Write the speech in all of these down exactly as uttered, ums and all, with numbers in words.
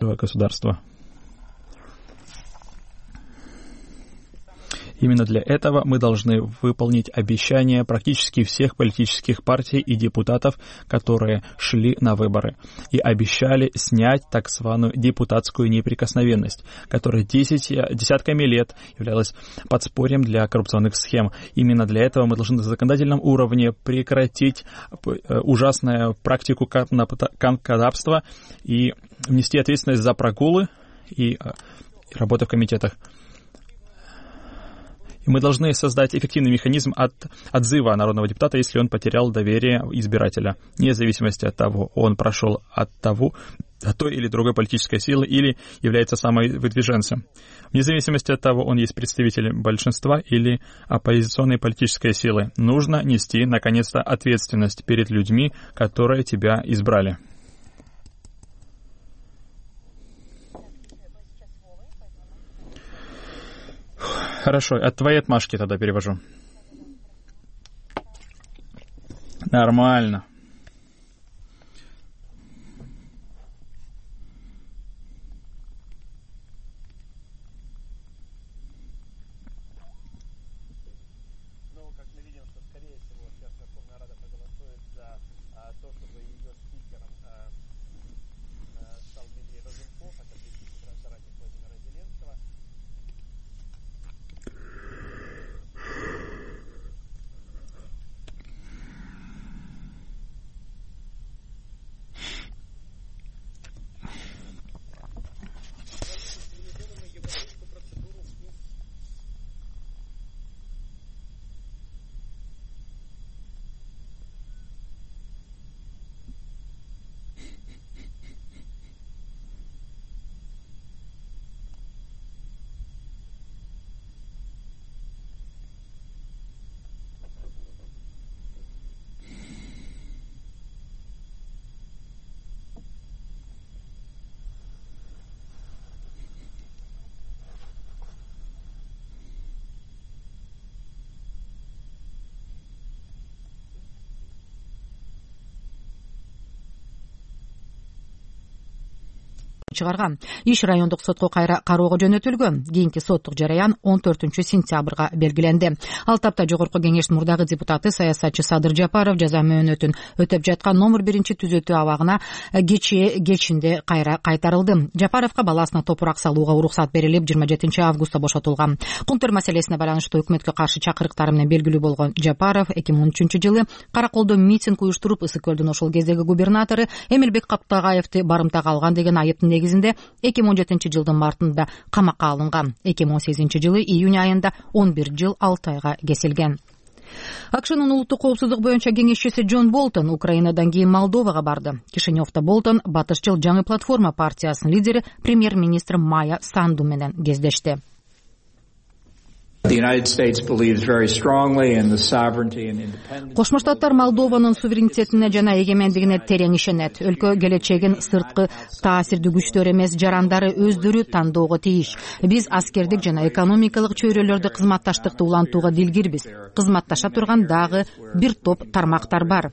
государства. Именно для этого мы должны выполнить обещания практически всех политических партий и депутатов, которые шли на выборы, и обещали снять так званую депутатскую неприкосновенность, которая десять, десятками лет являлась подспорьем для коррупционных схем. Именно для этого мы должны на законодательном уровне прекратить ужасную практику канкодавства и внести ответственность за прогулы и работу в комитетах. И мы должны создать эффективный механизм от отзыва народного депутата, если он потерял доверие избирателя, вне зависимости от того, он прошел от того, от той или другой политической силы или является самовыдвиженцем. Вне зависимости от того, он есть представитель большинства или оппозиционной политической силы. Нужно нести, наконец-то, ответственность перед людьми, которые тебя избрали. Хорошо, от твоей отмашки тогда перевожу. Нормально. Ну, как мы видим, что, скорее всего, сейчас Верховная Рада проголосует за а, то, чтобы ее спикером а, а, стал Дмитрий Разумков, это близкий соратник Владимира Зеленского. чыгарган. Иш райондук сотко кайра кароого жөнөтүлгөн. Кийинки соттук жараян он төртүнчү сентябрга белгиленди. Ал тапта жогорку кеңештин мурдагы депутаты саясатчы Садыр Жапаров жаза мөөнөтүн өтөп жаткан номер биринчи түзөтүү абагына кечээ кечинде кайра кайтарылды. Жапаровго баласына топурак салууга уруксат берилип, жыйырма жетинчи августта бошотулган. Кунтур маселесине байланыштуу өкмөткө каршы чакырыктары менен белгилүү болгон Жапаров эки миң он үчүнчү жылы Караколдо митинг уюштуруп, Ысык көлдүн ошол кездеги губернатору Эмилбек Каптагаевди барымтага алган деген айыптын негизинде эки миң он жетинчи жылдын мартында камакка алынган. эки миң он сегизинчи жылы июнь айында он бир жыл алты айга кесилген. АКШнын улуттук коопсуздук боюнча кеңешчиси Джон Болтон Украинадан кийин Молдовага барды. Кишиневдо Болтон Батышчыл жаңы платформа партиясынын лидери премьер-министр Майя Санду менен кездешти. Кошмо Штаттар Молдованын суверенитетине жана эгемендигине терең ишенет. Өлкө келечегин сырткы таасирдүү күчтөр эмес, жарандары өздөрү тандоого тийиш. Биз аскердик жана экономикалык чөйрөлөрдө кызматташтыкты улантууга дилгирбиз. Кызматташа турган дагы бир топ тармактар бар.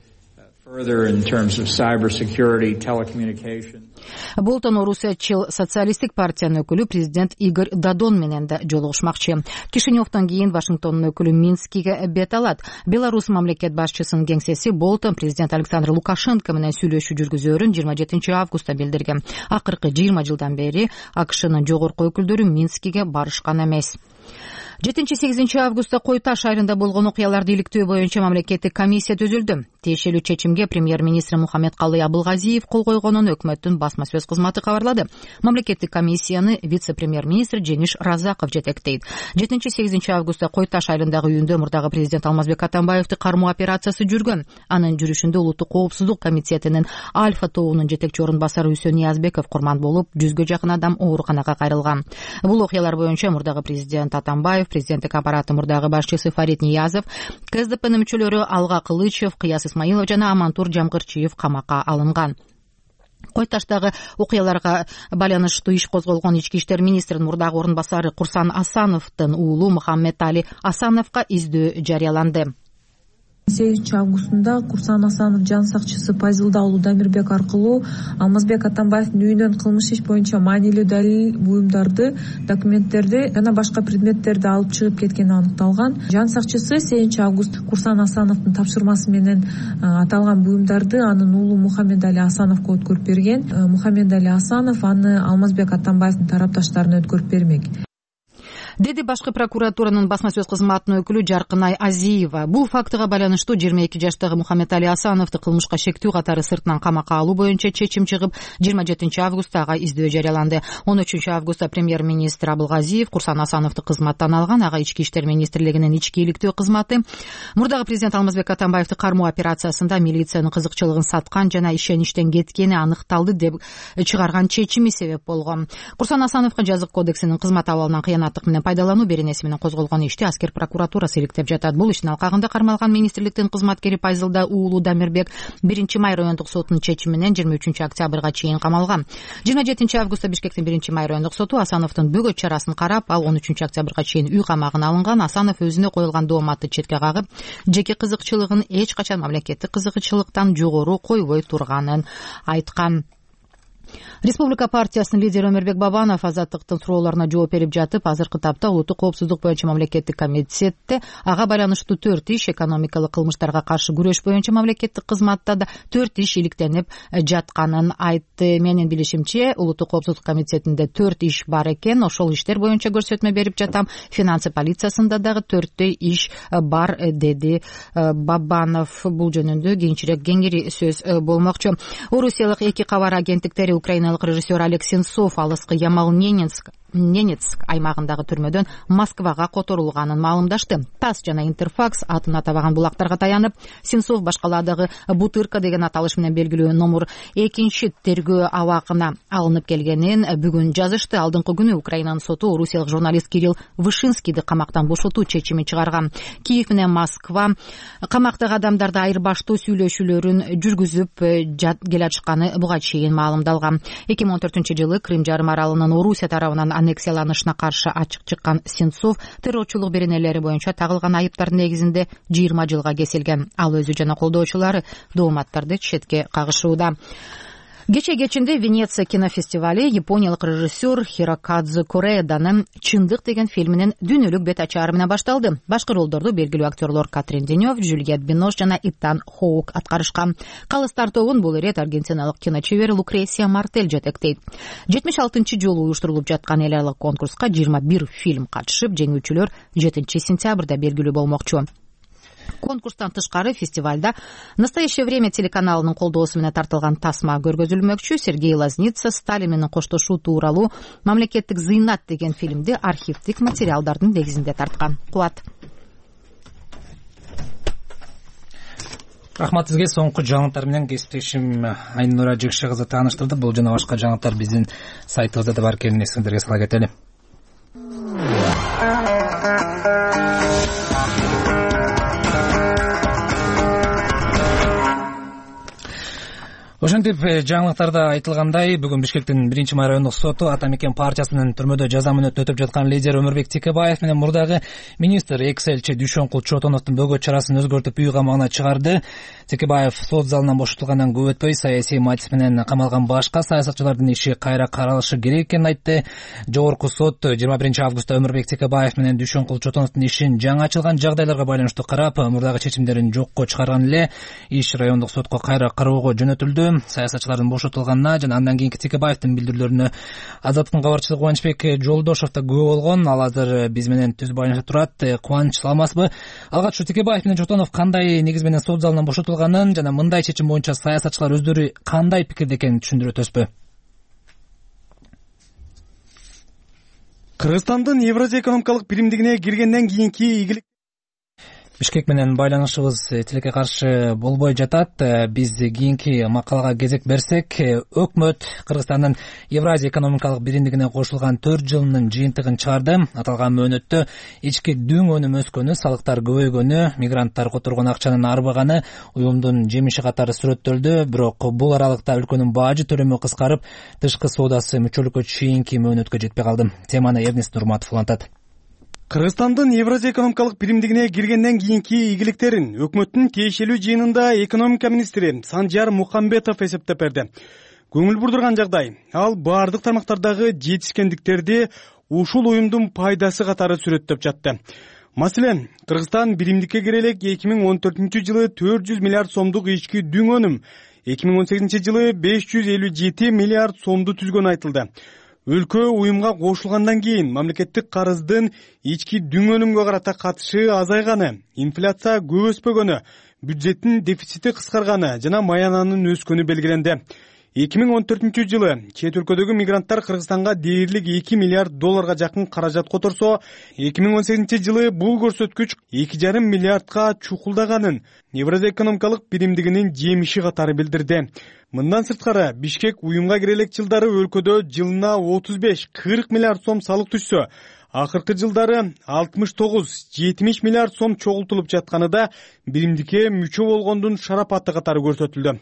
Болтон Орусиячыл социалисттик партиянын өкүлү президент Игорь Дадон менен да жолугушмакчы. Кишиневдон кийин Вашингтондун өкүлү Минскиге бет алат. Беларусь мамлекет башчысынын кеңсеси Болтон президент Александр Лукашенко менен сүйлөшүү жүргүзөөрүн жыйырма жетинчи августта билдирген. Акыркы жыйырма жылдан бери АКШнын жогорку өкүлдөрү Минскиге барышкан эмес. жетинчи-сегизинчи августта Кой Таш айылында болгон окуяларды иликтөө боюнча мамлекеттик комиссия түзүлдү. Тиешелүү чечимге премьер-министр Мухаммедкалый Абылгазиев кол койгонун өкмөттүн басма сөз кызматы кабарлады. Мамлекеттик комиссияны вице-премьер-министр Жеңиш Разаков жетектейт. жетинчи-сегизинчи августта Кой Таш айылындагы үйүндө мурдагы президент Алмазбек Атамбаевди кармоо операциясы жүргөн. Анын жүрүшүндө улуттук коопсуздук комитетинин Альфа тобунун жетекчи орун басары Үсөн Ниязбеков курман болуп, жүзгө жакын адам ооруканага кайрылган. Бул окуялар боюнча мурдагы президент Атамбаев, президенттик аппараты мурдагы башчысы Фарид Ниязов, КСДПнын мүчөлөрү Алга Кылычев, Кыяс Исмаилов жана Амантур Жамгырчиев камакка алынган. Кой Таштагы окуяларга байланыштуу иш козголгон ички иштер министринин мурдагы орун басары Курсан Асановдун уулу Мухаммед Али Асановго издөө жарыяланды. сегизинчи августунда Курсан Асанов жан сакчысы Пазилда уулу Дамирбек аркылуу Алмазбек Атамбаевдин үйүнөн кылмыш иш боюнча маанилүү далил, буюмдарды, документтерди жана башка предметтерди алып чыгып кеткени аныкталган. Жан сакчысы сегизинчи август Курсан Асановдун тапшырмасы менен аталган буюмдарды анын уулу Мухаммедали Асановго өткөрүп берген. Мухаммедали Асанов аны Алмазбек Атамбаевдин тарапташтарына өткөрүп бермек, деди башкы прокуратуранын басма сөз кызматынын өкүлү Жаркынай Азиева. Бул фактыга байланыштуу жыйырма эки жаштагы Мухаммедали Асановду кылмышка шектүү катары сыртынан камакка алуу боюнча чечим чыгып, жыйырма жетинчи августта ага издөө жарыяланды. он үчүнчү августта премьер-министр Абылгазиев Курсан Асановду кызматтан алган. Ага Ички иштер министрлигинин ички иликтөө кызматы мурдагы президент Алмазбек Атамбаевди кармоо операциясында милициянын кызыкчылыгын саткан жана ишеништен кеткени аныкталды деп чыгарган чечими себеп болгон. Курсан Асановго жазык кодексинин кызмат абалынан кыянаттык менен пайдалануу беренеси менен козголгон ишти аскер прокуратурасы иликтеп жатат. Бул иштин алкагында кармалган министрликтин кызматкери Пазилда уулу Дамирбек биринчи май райондук сотунун чечими менен жыйырма үчүнчү октябрга чейин камалган. жыйырма жетинчи августта Бишкектин биринчи май райондук соту Асановдун бөгөт чарасын карап, ал он үчүнчү октябрга чейин үй камагына алынган. Асанов өзүнө коюлган дооматты четке кагып, жеке кызыкчылыгын эч качан мамлекеттик кызыкчылыктан жогору койбой турганын айткан. Республика партиясынын лидери Өмүрбек Бабанов азаттыктын суроолоруна жооп берип жатып, азыркы тапта улуттук коопсуздук боюнча мамлекеттик комитетте ага байланыштуу төрт иш, экономикалык кылмыштарга каршы күрөш боюнча мамлекеттик кызматта да төрт иш иликтенип жатканын айтты. Менин билишимче, улуттук коопсуздук комитетинде төрт иш бар экен. Ошол иштер боюнча көрсөтмө берип жатам. Финансы полициясында дагы төрттөй иш бар, деди Бабанов. Бул жөнүндө кийинчерээк кеңири сөз болмокчу. Орусиялык эки кабар агенттиктери украиналык режиссер Олег Сенцов алыскы Ямал-Ненецк Ненецк аймагындагы түрмөдөн Москвага которулганын маалымдашты. ТАСС жана Интерфакс атын атабаган булактарга таянып, Сенцов башкаладагы Бутырка деген аталыш менен белгилүү номер экинчи тергөө абагына алынып келгенин бүгүн жазышты. Алдыңкы күнү Украинанын соту орусиялык журналист Кирилл Вышинскийди камактан бошотуу чечими чыгарган. Киев менен Москва камактагы адамдарды айырбаштоо сүйлөшүүлөрүн жүргүзүп келатышканы буга чейин маалымдалган. эки миң он төртүнчү жылы Крым жарым аралынын Орусия тарабынан аннексияланышына каршы ачык чыккан Сенцов террорчулук беренелери боюнча тагылган айыптардын негизинде жыйырма жылга кесилген. Ал өзү жана колдоочулары дооматтарды четке кагышууда. Кече кечинде Венеция кинофестивали япониялык режиссер Хирокадзу Кореданың «Чындык» деген фильминин дүйнөлүк бет ачаары менен башталды. Башкы ролдорду белгилүү актерлор Катрин Денев, Жюльет Бинош жана Итан Хоук аткарышкан. Калыс тартообун бул ирет аргентиналык киночебер Лукресия Мартель жетектейт. жетимиш алтынчы жолу уюштурулуп жаткан эл аралык конкурска жыйырма бир фильм катышып, жеңүүчүлөр жетинчи сентябрда белгилүү болмокчу. Конкурстан тышкары фестивалда «Настоящее время» телеканалынын колдоосу менен тартылган тасма көргөзүлмөкчү. Сергей Лазница Сталин менен коштошуу тууралуу «Мамлекеттик зыйнат» деген фильмди архивдик материалдардын негизинде тарткан. Кубат. Рахмат сизге. Соңку жаңылыктар менен кесиптешим Айнура Жекше кызы тааныштырды. Бул жана башка жаңылыктар биздин сайтыбызда да бар экенин эсиңиздерге сала кетели. Ошентип жаңылыктарда айтылгандай, бүгүн Бишкектин биринчи май райондук соту Ата Мекен партиясынын түрмөдө жаза мөөнөтүн өтөп жаткан лидер Өмүрбек Текебаев менен мурдагы министр экс элчи Дүйшөнкул Чотоновдун бөгөт чарасын өзгөртүп үй камагына чыгарды. Текебаев сот залынан бошотулгандан көп өтпөй саясий мотив менен камалган башка саясатчылардын иши кайра каралышы керек экенин айтты. Жогорку сот жыйырма биринчи августта Өмүрбек Текебаев менен Дүйшөнкул Чотоновдун ишин жаңы ачылган жагдайларга байланыштуу карап, мурдагы чечимдерин жокко чыгарган эле. Иш райондук сотко кайра кароого жөнөтүлдү. Саясатчылардын бошотулганына жана андан кийинки Текебаевдин билдирүүлөрүнө Азаттыктын кабарчысы Кубанычбек Жолдошов да күбө болгон. Ал азыр биз менен түз байланышта турат. Кубаныч, саламатсызбы? Алгач Текебаев менен Чотонов кандай негиз менен сот залынан бошотулганын жана мындай чечим боюнча саясатчылар өздөрү кандай пикирде экенин түшүндүрө өтөсүзбү? Кыргызстандын Евразия экономикалык биримдигине киргенден кийинки ийгилик Бишкек менен байланышыбыз тилекке каршы болбой жатат. Биз кийинки макалага кезек берсек, өкмөт Кыргызстандын Евразия экономикалык биримдигине кошулган төрт жылынын жыйынтыгын чыгарды. Аталган мөөнөттө ички дүң өнүмү өскөнү, салыктар көбөйгөнү, мигранттар которгон акчанын арбаганы уюмдун жемиши катары сүрөттөлдү. Бирок бул аралыкта өлкөнүн бажы төлөмү кыскарып, тышкы соодасы мүчөлүккө чейинки мөөнөткө жетпей калды. Теманы Эрнест Нурматов улантат. Кыргызстандын Евразия экономикалык биримдигине киргенден кийинки ийгиликтерин өкмөттүн тиешелүү жыйынында экономика министри Санжар Мукамбетов эсептеп берди. Көңүл бурдурган жагдай ал баардык тармактардагы жетишкендиктерди ушул уюмдун пайдасы катары сүрөттөп жатты. Маселен, Кыргызстан биримдикке кире элек эки миң он төртүнчү жылы төрт жүз миллиард сомдук ички дүң өнүм, эки миң он сегизинчи жылы беш жүз элүү жети миллиард сомду түзгөнү айтылды. Өлкө уюмга кошулгандан кийин мамлекеттик карыздын ички дүң өнүмгө карата катышы азайганы, инфляция көп өспөгөнү, бюджеттин дефицити кыскарганы жана маянанын өскөнү белгиленди. эки миң он төртүнчү жылы чет өлкөдөгү мигранттар Кыргызстанга дээрлик эки миллиард долларга жакын каражат которсо, эки миң он сегизинчи жылы бул көрсөткүч эки жарым миллиардка чукулдаганын Евразия экономикалык биримдигинин жемиши катары билдирди. Мындан сырткары Бишкек уюмга кире элек жылдары өлкөдө жылына отуз беш кырк миллиард сом салык түшсө, акыркы жылдары алтымыш тогуз жетимиш миллиард сом чогултулуп жатканы да биримдикке мүчө болгондун шарапаты катары көрсөтүлдү.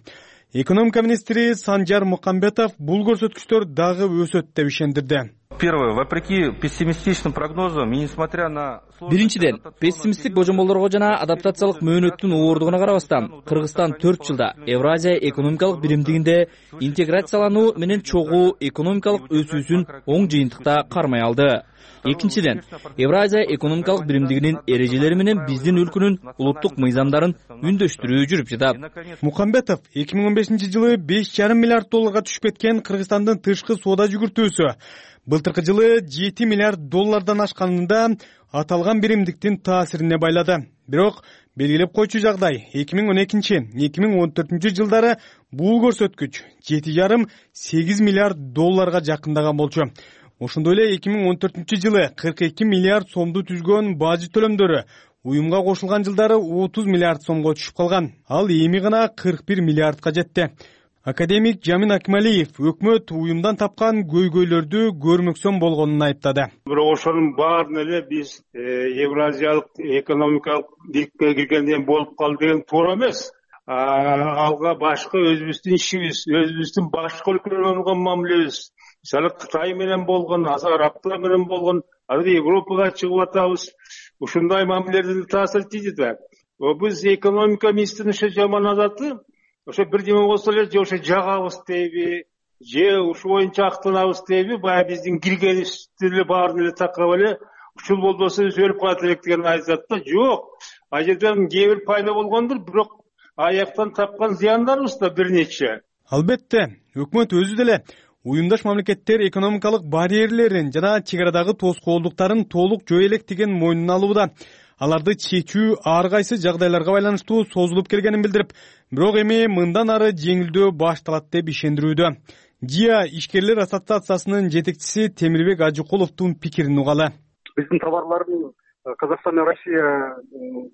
Экономика министри Санжар Мукамбетов бул көрсөткүчтөр дагы өсөт деп ишендирди. Первое, вопреки пессимистичным прогнозам и несмотря на... Биринчиден, пессимисттик божомолдорго жана адаптациялык мөөнөттүн ооругуна карабастан, Кыргызстан төрт жылда Евразия экономикалык биримдигинде интеграциялануу менен чогуу экономикалык өсүүсүн оң жыйынтыкта кармай алды. Экинчиден, Евразия экономикалык биримдигинин эрежелери менен биздин өлкөнүн улуттук мыйзамдарын үндөштүрүү жүрүп жатат. Мукамбетов эки миң он бешинчи жылы беш жарым миллиард долларга түшүп кеткен Кыргызстандын тышкы соода жүгүртүүсү былтыркы жылы жети миллиард доллардан ашканында аталган биримдиктин таасирине байлады. Бирок белгилеп койчу жагдай эки миң он экинчи эки миң он төртүнчү жылдары бул көрсөткүч жети жарым сегиз миллиард долларга жакындаган болчу. Ошондой эле эки миң он төртүнчү жылы кырк эки миллиард сомду түзгөн бажы төлөмдөрү уюмга кошулган жылдары отуз миллиард сомго түшүп калган. Ал эми гана кырк бир миллиардка жетти. Академик Жамин Акмалиев өкмөт уюмдан тапкан көйгөйлөрдү көрмөксөн болгонун айыптады. Бирок ошонун баарын эле биз Евразиялык экономикалык бийликке киргенден болуп калды деген туура эмес. Алга башка өзүбүздүн ишибиз, өзүбүздүн башка өлкөлөргө болгон мамилебиз, мисалы Кытай менен болгон, Арабтар менен болгон, азыр Европага чыгып атабыз. Ушундай мамилелердин таасири тийди да. Биз экономика министринин ошо жаман адаты, ошо бирдеме болсо эле же ошо жагабыз дейби, же ушу боюнча актанабыз дейби, баягы биздин киргенибизди эле баарын эле такап эле ушул болбосо биз өлүп калат элек деген айтат да. Жок, ал жерден кээ бир пайда болгондур, бирок аяктан тапкан зыяндарыбыз да бир нече. Албетте, өкмөт өзү деле уюмдаш мамлекеттер экономикалык барьерлерин жана чек арадагы тоскоолдуктарын толук жөө элек деген мойнуна алууда. Аларды чечүү ар кайсы жагдайларга байланыштуу созулуп келгенин билдирип, бирок эми мындан ары жеңилдөө башталат деп ишендирүүдө. ЖИА ишкерлер ассоциациясынын жетекчиси Темирбек Ажыкуловдун пикирин угалы. Биздин товарлардын Казакстан менен Россия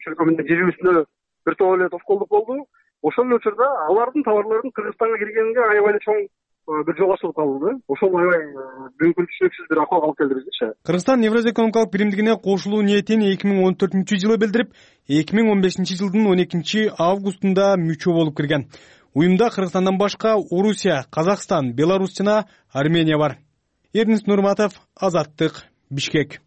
чөлкө менен жибибизине бир топ эле тоскоолдук болду. Ошол эле учурда алардын товарларынын Кыргызстанга киргенине аябай эле чоң бир жол ачылып калды. Ошол аябай бүгүнкү түшүнүксүз бир акыбалга алып келди бизчи. Кыргызстан Евразия экономикалык биримдигине кошулуу ниетин эки миң он төртүнчү жылы билдирип, эки миң он бешинчи жылдын он экинчи августунда мүчө болуп кирген. Уюмда Кыргызстандан башка Орусия, Казакстан, Беларусь жана Армения бар. Эрнис Нурматов, Азаттык, Бишкек.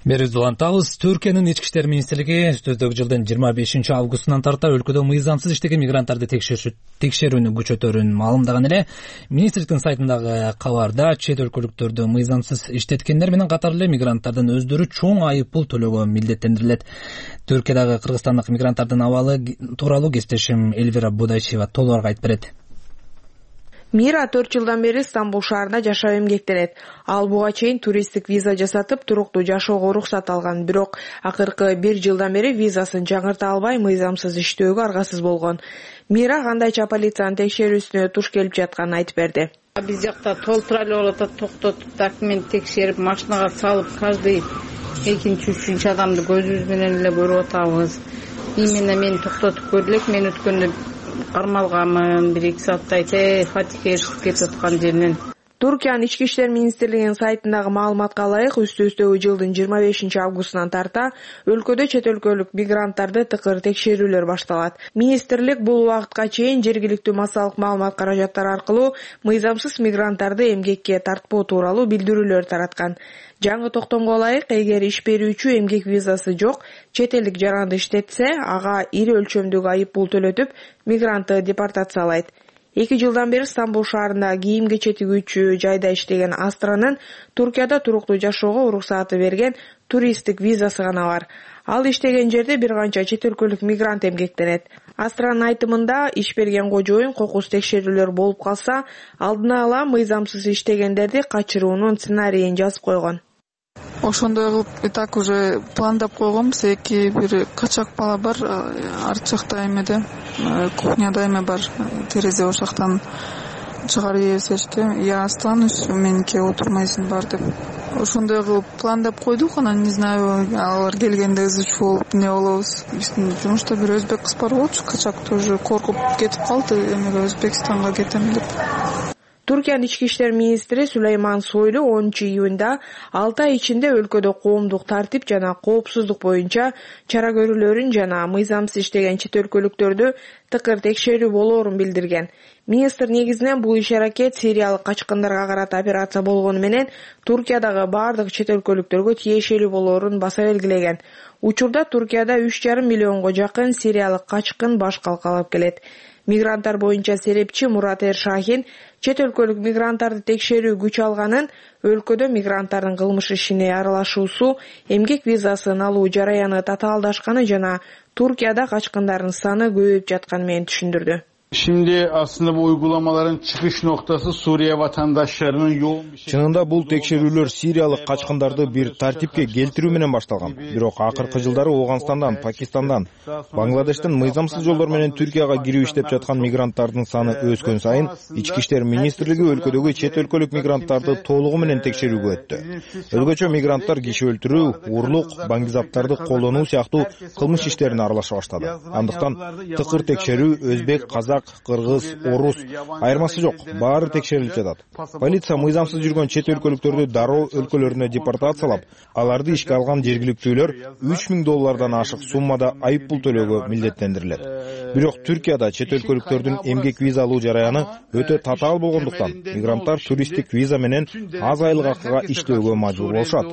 Берүүбүздү улантабыз. Түркиянын ички иштер министрлиги өтөдөгү жылдын жыйырма бешинчи августунан тарта өлкөдө мыйзамсыз иштеген мигранттарды текшерүүнү күчөтөрүн маалымдаган эле. Министрликтин сайтындагы кабарда чет өлкөлүктөрдү мыйзамсыз иштеткендер менен катар эле мигранттардын өздөрү чоң айып пул төлөөгө милдеттендирилет. Түркиядагы кыргызстандык мигранттардын абалы тууралуу кесиптешим Эльвира Будайчева толугураак айтып берет. Мира төрт жылдан бери Стамбул шаарында жашап эмгектенет. Ал буга чейин туристтик виза жасатып, туруктуу жашоого уруксат алган. Бирок акыркы бир жылдан бери визасын жаңырта албай, мыйзамсыз иштөөгө аргасыз болгон. Мира кандайча полициянын текшерүүсүнө туш келип жатканын айтып берди. Биз жакта толтуралы болуп атат, токтотуп, документ текшерип, машинага салып, каждый экинчи, үчүнчү адамды көзүбүз менен эле көрүп атабыз. Именно мени токтотуп көрдүлөк, мен өткөндө кармалганмын, бир эки сааттай те фатихе эришип кетип аткан жеринен. Туркиянын ички иштер министрлигинин сайтындагы маалыматка ылайык, үстү-үстөгү жылдын жыйырма бешинчи августунан тарта өлкөдө чет өлкөлүк мигранттарды тыкыр текшерүүлөр башталат. Министрлик бул убакытка чейин жергиликтүү массалык маалымат каражаттары аркылуу мыйзамсыз мигранттарды эмгекке тартпоо тууралуу билдирүүлөр тараткан. Жаңы токтомго ылайык, эгер иш берүүчү эмгек визасы жок чет элдик жаранды иштетсе, ага ири өлчөмдөгү айып пул төлөтүп, мигрантты депортациялайт. Эки жылдан бери Стамбул шаарында кийим кече тигүүчү жайда иштеген Астранын Туркияда туруктуу жашоого уруксааты берген туристтик визасы гана бар. Ал иштеген жерде бир канча чет өлкөлүк мигрант эмгектенет. Астранын айтымында, иш берген кожоюн кокус текшерүүлөр болуп калса, алдына ала мыйзамсыз иштегендерди качыруунун сценарийин жазып койгон. Ошондой кылып и так уже пландап койгонбуз. Эки бир качак бала бар, арт жакта эмеде, кухняда эме бар, терезе ошактан чыгарып ийбесешти. Я останусь, меники отурмайсың бар деп. Ошондой кылып пландап койдук, анан не знаю, алар келгенде ызы чуу болуп не болобуз. Биздин жумушта бир өзбек кыз бар болчу, качак тоже коркуп кетип калды, эмеге Өзбекстанга кетем деп. Туркиянын ички иштер министри Сулейман Сойлу онунчу июнда алты ай ичинде өлкөдө коомдук тартип жана коопсуздук боюнча чара көрүүлөрүн жана мыйзамсыз иштеген чет өлкөлүктөрдү тыкыр текшерүү болоорун билдирген. Министр негизинен бул иш-аракет сириялык качкындарга карата операция болгону менен Туркиядагы бардык чет өлкөлүктөргө тиешелүү болоорун баса белгилеген. Учурда Туркияда үч жарым миллионго жакын сириялык качкын баш калкалап келет. Мигранттар боюнча серепчи Мурат Эршахин чет өлкөлүк мигранттарды текшерүү күч алганын, өлкөдө мигранттардын кылмыш ишине аралашуусу, эмгек визасын алуу жараяны татаалдашканы жана Туркияда качкындардын саны көбөйүп жатканы менен түшүндүрдү. Şimdi aslında bu uygulamaların çıkış noktası Suriye vatandaşlarının yoğun bir şey. Чынында бул текшерүүлөр сириялык качкындарды бир тартипке келтирүү менен башталган. Бирок акыркы жылдары Ооганстандан, Пакистандан, Бангладештен мыйзамсыз жолдор менен Түркияга кирип иштеп жаткан мигранттардын саны өскөн сайын ички иштер министрлиги өлкөдөгү чет өлкөлүк мигранттарды толугу менен текшерүүгө өттү. Өзгөчө мигранттар киши өлтүрүү, урлук, баңгизаптарды колдонуу сыяктуу кылмыш иштерине аралаша баштады. Андыктан тыкыр текшерүү өзбек, казак, кыргыз, орус айырмасы жок, баары текшерилип жатат. Полиция мыйзамсыз жүргөн чет өлкөлүктөрдү дароо өлкөлөрүнө депортациялап, аларды ишке алган жергиликтүүлөр үч миң доллардан ашык суммада айып пул төлөөгө милдеттендирилет. Бирок Түркияда чет өлкөлүктөрдүн эмгек виза алуу жараяны өтө татаал болгондуктан мигранттар туристтик виза менен аз айлык акыга иштөөгө мажбур болушат.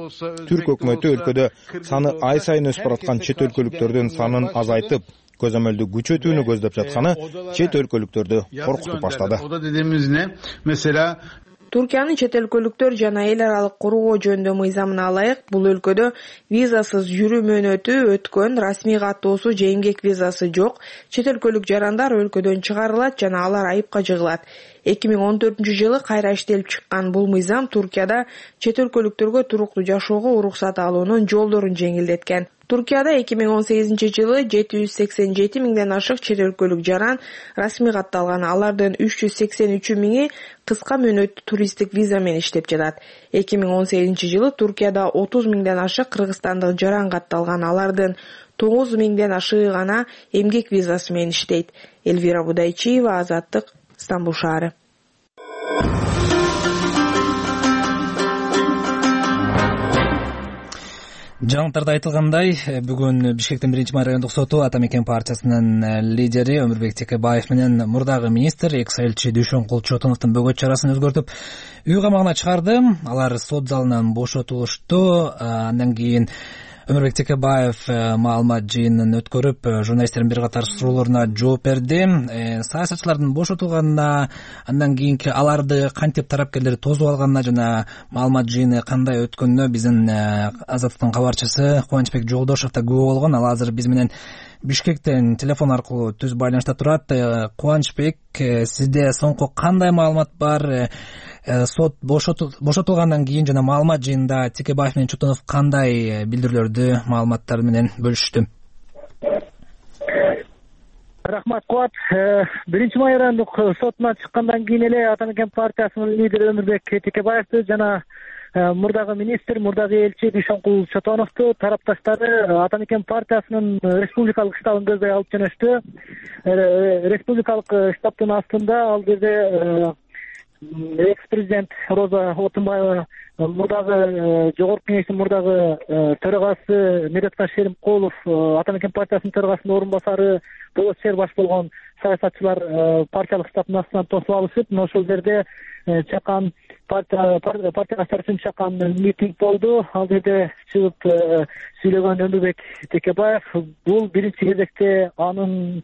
Түрк өкмөтү өлкөдө саны ай сайын өсүп бараткан чет өлкөлүктөрдүн санын азайтып, көзөмөлдү күчөтүүнү көздөп жатканы чет өлкөлүктөрдү коркутуп баштады. O da dediğimiz ne? Mesela Туркиянын чет өлкөлүктөр жана эл аралык кургоо жөнүндө мыйзамына ылайык бул өлкөдө визасыз жүрүү мөөнөтү өткөн, расмий каттоосу же эмгек визасы жок чет өлкөлүк жарандар өлкөдөн чыгарылат жана алар айыпка жыгылат. эки миң он төртүнчү жылы кайра иштелип чыккан бул мыйзам Туркияда чет өлкөлүктөргө туруктуу жашоого уруксат алуунун жолдорун жеңилдеткен. Туркияда эки миң он сегизинчи жылы жети жүз сексен жети миңден ашык чет өлкөлүк жаран расмий катталган. Алардын үч жүз сексен үчү миңи кыска мөөнөттүү туристтик виза менен иштеп жатат. эки миң он сегизинчи жылы Туркияда отуз миңден ашык кыргызстандык жаран катталган. Алардын тогуз миңден ашыгы гана эмгек визасы менен иштейт. Элвира Будайчиева, Азаттык, Стамбул шаары. Жаңылыктарда айтылгандай, бүгүн Бишкектин биринчи май райондук соту Ата Мекен партиясынын лидери Өмүрбек Текебаев менен мурдагы министр экс элчи Дүйшөнкул Чотоновдун бөгөт чарасын өзгөртүп үй камагына чыгарды. Алар сот залынан бошотулушту. Андан кийин Өмүрбек Текебаев маалымат жыйынын өткөрүп, журналисттердин бир катар суроолоруна жооп берди. Саясатчылардын бошотулганына, андан кийинки аларды кантип тарапкерлер тосуп алганына жана маалымат жыйыны кандай өткөнүнө биздин Азаттыктын кабарчысы Кубанычбек Жолдошов да күбө болгон. Ал азыр биз менен Бишкектен телефон аркылуу түз байланышта турат. Кубанычбек, сизде соңку кандай маалымат бар? Сот бошотулгандан кийин жана маалымат жыйынында Текебаев менен Чотонов кандай билдирүүлөрдү, маалыматтар менен бөлүштү? Рахмат, Кубат. биринчи май райондук сотунан чыккандан кийин эле Ата Мекен партиясынын лидери Өмүрбек Текебаевди жана мурдагы министр, мурдагы элчи Дүйшөнкул Чотоновду тарапташтары Ата Мекен партиясынын республикалык штабын көздөй алып жөнөштү. Республикалык штабтын астында ал жерде экс президент Роза Отунбаева, мурдагы жогорку кеңештин мурдагы төрагасы Медеткан Шеримкулов, Ата Мекен партиясынын төрагасынын орун басары, болот шаар баш болгон саясатчылар партиялык штабтын астынан тосуп алышып, мына ошол жерде чакан партия партиядаштар үчүн чакан митинг болду. Ал жерде чыгып сүйлөгөн Өмүрбек Текебаев бул биринчи кезекте анын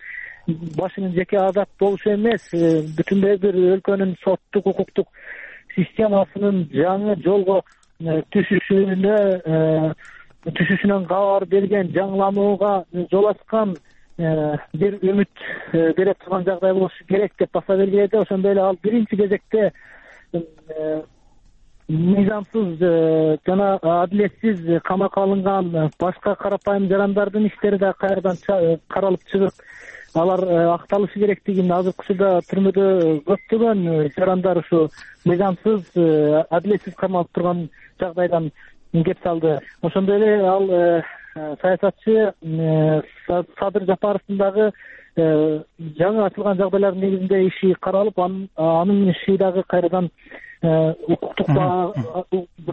башынын жеке азат болушу эмес, бүтүндөй бир өлкөнүн соттук укуктук системасынын жаңы жолго түшүшүнө түшүшүнөн кабар берген, жаңыланууга жол ачкан бир үмүт бере турган жагдай болушу керек деп баса белгиледи. Ошондой эле ал биринчи кезекте мыйзамсыз жана адилетсиз камакка алынган башка карапайым жарандардын иштери да кайрадан каралып чыгып, алар акталышы керектигин, азыркы учурда түрмөдө көптөгөн жарандар ушу мыйзамсыз адилетсиз камалып турган жагдайдан кеп салды. Ошондой эле ал саясатчы Садыр Жапаровдун дагы жаңы ачылган жагдайлардын негизинде иши каралып, анын иши дагы кайрадан укуктук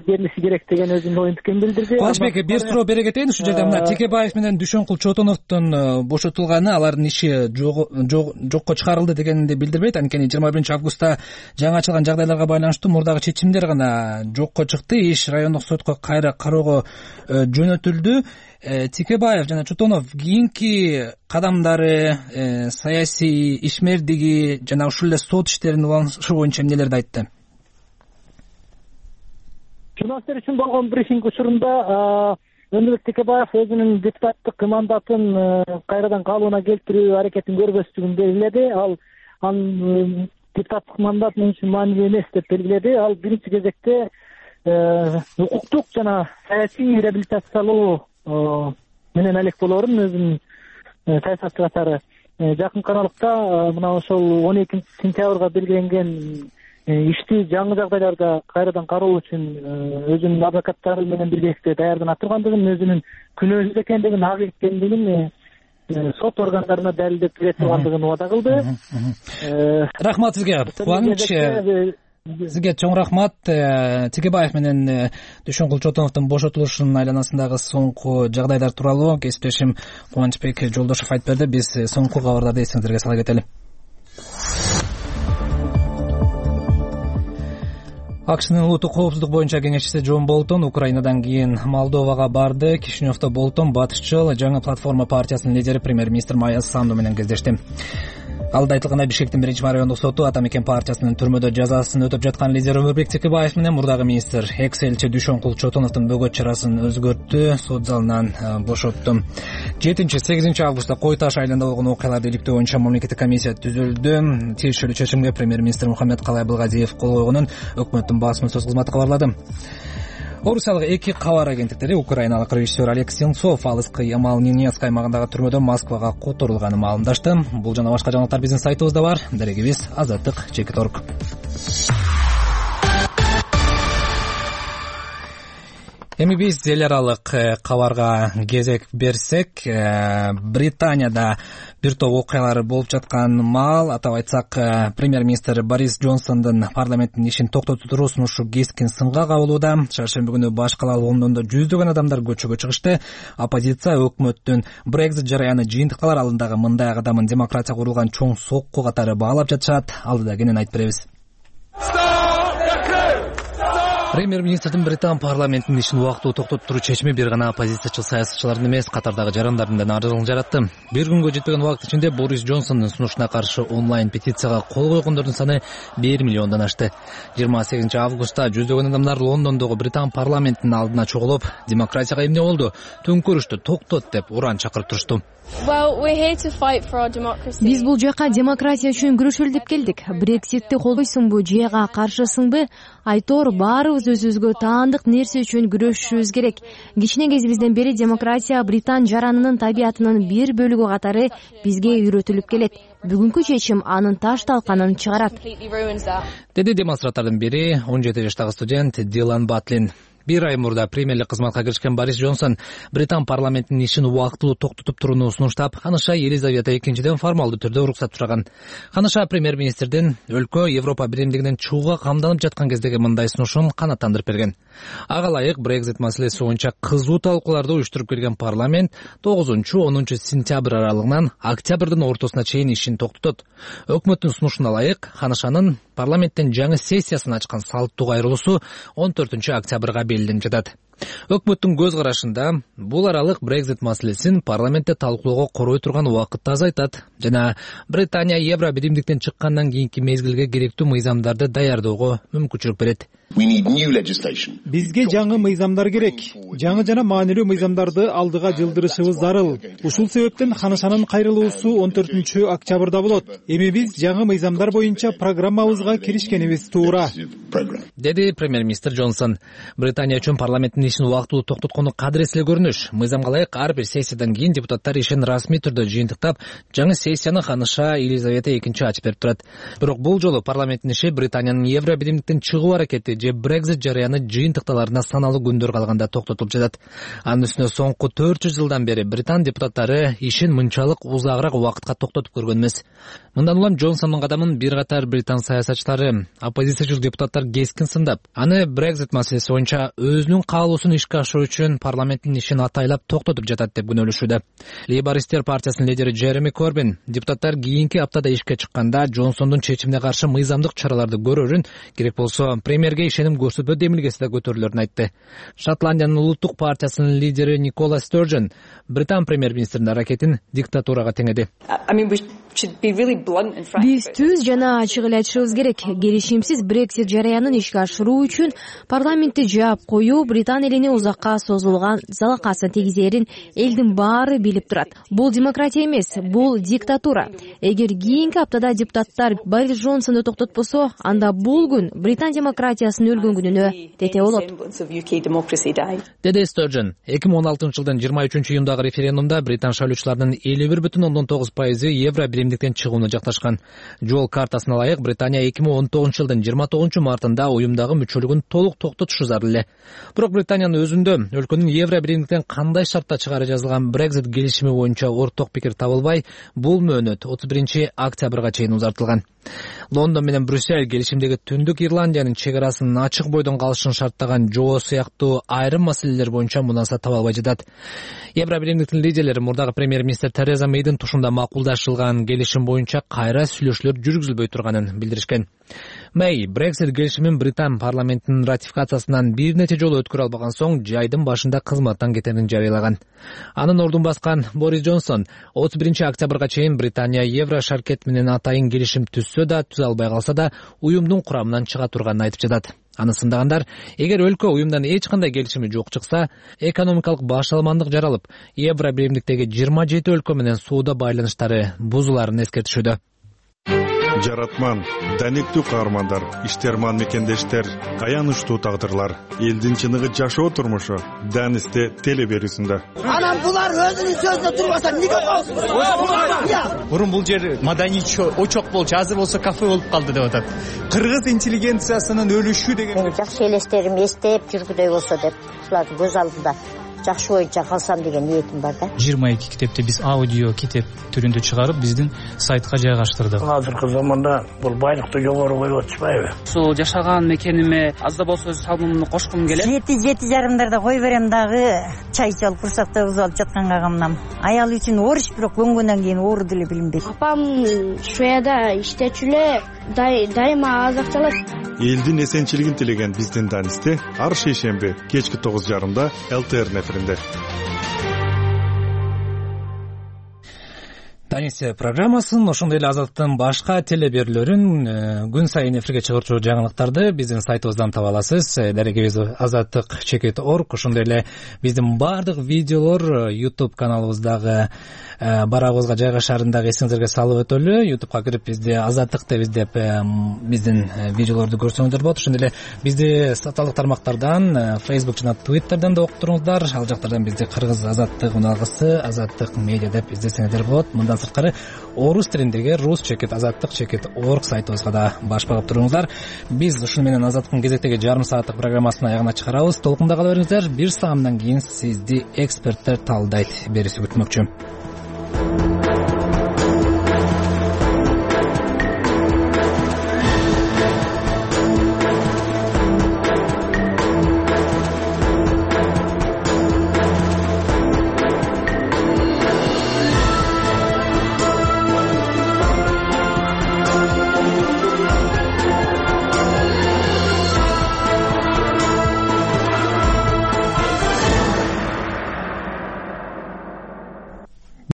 берилиши керек деген өзүнүн оюн пикирин билдирди. Кубанычбек, бир суроо бере кетейин. Ушул жерде мына Текебаев менен Дүйшөнкул Чотоновдун бошотулганы алардын иши жокко чыгарылды дегенди билдирбейт. Анткени жыйырма биринчи августта жаңы ачылган жагдайларга байланыштуу мурдагы чечимдер гана жокко чыкты. Иш райондук сотко кайра кароого жөнөтүлдү. Текебаев жана Чотонов кийинки кадамдары, саясий ишмердиги жана ушул эле сот иштерин уланышы боюнча эмнелерди айтты? Журналисттер үчүн болгон брифинг учурунда Өмүрбек Текебаев өзүнүн депутаттык мандатын кайрадан калыбына келтирүү аракетин көрбөстүгүн белгиледи. Ал анын депутаттык мандат мен үчүн маанилүү эмес деп белгиледи. Ал биринчи кезекте укуктук жана саясий реабилитациялоо менен алек болоорун өзүнүн саясатчы катары жакынкы аралыкта мына ошол он экинчи сентябрга белгиленген ишти жаңы жагдайларда кайрадан кароо үчүн өзүнүн адвокаттары менен биргеликте даярданып тургандыгын, өзүнүн күнөөсүз экендигин, ак экендигин сот органдарына далилдеп бере тургандыгын убада кылды. Рахмат сизге. Кубаныч, сизге чоң рахмат. Текебаев менен Дүйшөнкул Чотоновдун бошотулушунун айланасындагы соңку жагдайлар тууралуу кесиптешим Кубанычбек Жолдошов айтып берди. Биз соңку кабарларды эсиңиздерге сала кетели. АКШнын улуттук коопсуздук боюнча кеңешчиси Джон Болтон Украинадан кийин Молдовага барды. Кишиневдо Болтон батышчыл жаңы платформа партиясынын лидери премьер-министр Майя Санду менен кездешти. Алда айтылгандай, Бишкектин биринчи райондук соту Ата Мекен партиясынын түрмөдө жазасын өтөп жаткан лидер Өмүрбек Текебаев менен мурдагы министр экс элчи Дүйшөнкул Чотоновдун бөгөт чарасын өзгөрттү, сот залынан бошотту. жетинчи сегизинчи августта Кой Таш айылында болгон окуяларды иликтөө боюнча мамлекеттик комиссия түзүлдү. Тиешелүү чечимге премьер-министр Мухаммед Калай Былгазиев кол койгонун өкмөттүн басма-сөз кызматы кабарлады. Орусиялык эки кабар агенттиктери украиналык режиссер Олег Сенцов алыскы Ямал-Ненецк аймагындагы түрмөдөн Москвага которулганын маалымдашты. Бул жана башка жаңылыктар биздин сайтыбызда бар. Дарегибиз азаттык чекит точка орг. Эми биз эл аралык кабарга кезек берсек, Британияда бир топ окуялар болуп жаткан маал, атап айтсак, премьер-министр Борис Джонсондун парламенттин ишин токтотуу туруусун ушу кескин сынга кабылууда. Чаршемби күнү баш кала Лондондо жүздөгөн адамдар көчөгө чыгышты. Оппозиция өкмөттүн Brexit жараяны жыйынтыкталар алдындагы мындай кадамын демократия курулган чоң сокку катары баалап жатышат. Алдыда кенен айтып беребиз. Премьер-министрдин Британ парламентинин ишин убактылуу токтотуп туруу чечими бир гана оппозициячыл саясатчылардын эмес, катардагы жарандардын да нааразылыгын жаратты. Бир күнгө жетпеген убакыт ичинде Борис Джонсондун сунушуна каршы онлайн петицияга кол койгондордун саны бир миллиондон ашты. жыйырма сегизинчи августта жүздөгөн адамдар Лондондогу Британ парламентинин алдына чогулуп, демократияга эмне болду, төңкөрүштү токтот деп уран чакырып турушту. Биз бул жака демократия үчүн күрөшөлү деп келдик. Брекситти колдойсуңбу, жега каршысыңбы? Айтор баарыбыз өзүбүзгө таандык нерсе үчүн күрөшүшүбүз керек. Кичине кезибизден бери демократия Британ жаранынын табиятынын бир бөлүгү катары бизге үйрөтүлүп келет. Бүгүнкү чечим анын таш талканын чыгарат. Деди демонстранттардын бири он жети жаштагы студент Дилан Батлин. Бир ай мурда премьерлик кызматка киришкен Борис Джонсон Британ парламентинин ишин убактылуу токтотуп турууну сунуштап, ханыша Елизавета экинчиден формалдуу түрдө уруксат сураган. Ханыша премьер-министрдин өлкө Европа биримдигинен чыгууга камданып жаткан кездеги мындай сунушун канааттандырып берген. Ага ылайык Брекзит маселеси боюнча кызуу талкууларды уюштуруп келген парламент тогузунчу онунчу сентябрь аралыгынан октябрдын ортосуна чейин ишин токтотот. Өкмөттүн сунушуна ылайык Ханышанын парламенттин жаңы сессиясын ачкан салттуу кайрылуусу он төртүнчү октябрга белгиленип жатат. Өкмөттүн көз карашында бул аралык Брекзит маселесин парламентте талкуулоого корой турган убакытты азайтат жана Британия Евро биримдиктен чыккандан кийинки мезгилге керектүү мыйзамдарды даярдоого мүмкүнчүлүк берет. Бизге жаңы мыйзамдар керек. Жаңы жана маанилүү мыйзамдарды алдыга жылдырышыбыз зарыл. Ушул себептен Ханышанын кайрылуусу он төртүнчү октябрда болот. Эми биз жаңы мыйзамдар боюнча программабызга киришкенибиз туура, деди премьер-министр Джонсон. Британия үчүн парламенттин ишин убактылуу токтоткону кадырес эле көрүнүш. Мыйзамга ылайык ар бир сессиядан кийин депутаттар ишин расмий түрдө жыйынтыктап, жаңы сессияны Ханыша Елизавета экинчи ачып берип турат. Бирок бул жолу парламенттин иши Британиянын Евро биримдиктен чыгуу аракети же Брекзит жарыяны жыйынтыкталарына саналуу күндөр калганда токтотулуп жатат. Анын үстүнө соңку төрт жүз жылдан бери Британ депутаттары ишин мынчалык узагыраак убакытка токтотуп көргөн эмес. Мындан улам Джонсондун кадамын бир катар британ саясатчылары, оппозициячыл депутаттар кескин сындап, аны Брекзит маселеси боюнча өзүнүн каалоосун ишке ашыруу үчүн парламенттин ишин атайлап токтотуп жатат деп күнөөлөшүүдө. Лейбористтер партиясынын лидери Джереми Корбин депутаттар кийинки аптада ишке чыкканда Джонсондун чечимине каршы мыйзамдык чараларды көрөрүн, керек болсо премьерге ишеним көрсөтүү демилгеси да көтөрүлөрүн айтты. Шотландиянын улуттук партиясынын лидери Никола Стерджен Британ премьер-министринин аракетин диктатурага теңеди. Биз түз жана ачык эле айтышыбыз керек. Келишимсиз Брексит жараянын ишке ашыруу үчүн парламентти жаап коюу Британ элине узакка созулган залакасын тийгизерин элдин баары билип турат. Бул демократия эмес, бул диктатура. Эгер кийинки аптада депутаттар Борис Джонсонду токтотпосо, анда бул күн Британ демократиясынын өлгөн күнүнө тете болот, деди Стерджен. эки миң он алтынчы жылдын жыйырма үчүнчү июндагы референдумда британ шайлоочуларынын элүү бир бүтүн ондон тогуз пайызы Евро биримдиктен чыгууну жакташкан. Жол картасына ылайык Британия эки миң он тогузунчу жылдын жыйырма тогузунчу мартында уюмдагы мүчөлүгүн толук токтотушу зарыл эле. Бирок Британиянын өзүндө өлкөнүн Евро биримдиктен кандай шартта чыгары жазылган Брекзит келишими боюнча орток пикир табылбай, бул мөөнөт отуз биринчи октябрга чейин узартылган. Лондон менен Брюссель келишимдеги Түндүк Ирландиянын чек арасын ачык бойдон калышын шарттаган жоо сыяктуу айрым маселелер боюнча мунасат таба албай жатат. Евро биримдиктин лидерлери мурдагы премьер-министр Тереза Мейдин тушунда макулдашылган келишим боюнча кайра сүйлөшүүлөр жүргүзүлбөй турганын билдиришкен. Мэй Брексит келишимин Британ парламентинин ратификациясынан бир нече жолу өткөрө албаган соң жайдын башында кызматтан кетерин жарыялаган. Анын ордун баскан Борис Джонсон отуз биринчи октябрга чейин Британия Евро шаркет менен атайын келишим түзсө да, түзө албай калса да, уюмдун курамынан чыга турганын айтып жатат. Аны сындагандар, эгер өлкө уюмдан эч кандай келишими жок чыкса, экономикалык башаламандык жаралып, Евро биримдиктеги жыйырма жети өлкө менен соода байланыштары бузуларын эскертишүүдө. Жаратман, даниктүү каармандар, иштерман мекендештер, аянычтуу тагдырлар, элдин чыныгы жашоо турмушу Данисте телеберүүсүндө. Анан булар өзүнүн сөзүндө турбаса эмнеге болсун? Мурун бул жер маданий очок болчу, азыр болсо кафе болуп калды деп атат. Кыргыз интеллигенциясынын өлүшү деген жакшы элестерим эстеп жүргүдөй болсо деп, ушулардын көз алдында жакшы боюнча калсам деген ниетим бар да. жыйырма эки китепти биз аудио китеп түрүндө чыгарып, биздин сайтка жайгаштырдык. Азыркы заманда бул байлыкты жогору коюп атышпайбы? Ушул жашаган мекениме аз да болсо салымымды кошкум келет. Жети жети жарымдарда кой берем дагы, чай ичип алып курсакта узалып жатканга камнам. Аял үчүн ооруш, бирок көнгөндөн кийин оору деле билинбейт. Апам Швецияда иштечү эле, дайыма азакталат. Элдин эсенчилигин тилеген биздин Данисте ар шейшемби кечки тогуз жарымда эл тэ эр неферинде. Данис программасын, ошондой эле Азаттын башка телеберүүлөрүн күн сайын эфирге чыгарчу жаңылыктарды биздин сайтыбыздан таба аласыз. Дарегибиз азаттык чекит точка орг. Ошондой эле биздин баардык видеолор YouTube каналыбыздагы барабызга жайгашаарын дагы эсиңиздерге салып өтөлү. ютубка кирип бизди Азаттык деп издеп биздин видеолорду көрсөңүздөр болот. Ошондой эле бизди социалдык тармактардан, Facebook жана Twitter'дан да окуп туруңуздар. Ал жактардан бизди Кыргыз Азаттык уналгысы, Азаттык медиа деп издесеңиздер болот. Мындан сырткары орус тилиндеги рус чекит азаттык чекит орг сайтыбызга да баш багып туруңуздар. Биз ушуну менен Азаттыктын кезектеги жарым сааттык программасын аягына чыгарабыз. Толкунда кала бериңиздер. Бир саамдан кийин сизди эксперттер талдайт берүүсү күтмөкчү.